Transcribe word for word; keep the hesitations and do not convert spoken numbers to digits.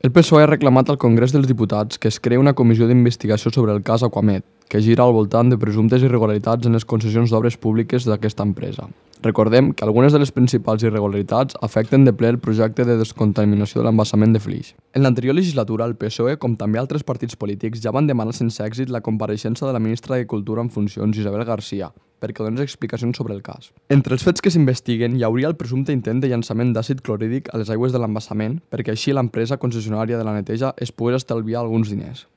El P S O E ha reclamat al Congrés dels Diputats que es creï una comissió d'investigació sobre el cas Aquamed, que gira al voltant de presumptes irregularitats en les concessions d'obres públiques d'aquesta empresa. Recordem que algunes de les principals irregularitats afecten de ple el projecte de descontaminació de l'embassament de Flix. En l'anterior legislatura, el P S O E, com també altres partits polítics, ja van demanar sense èxit la compareixença de la ministra de Cultura en funcions, Isabel García, perquè donés explicacions sobre el cas. Entre els fets que s'investiguen hi hauria el presumpte intent de llançament d'àcid clorhídric a les aigües de l'embassament perquè així l'empresa concessionària de la neteja es pogués estalviar alguns diners.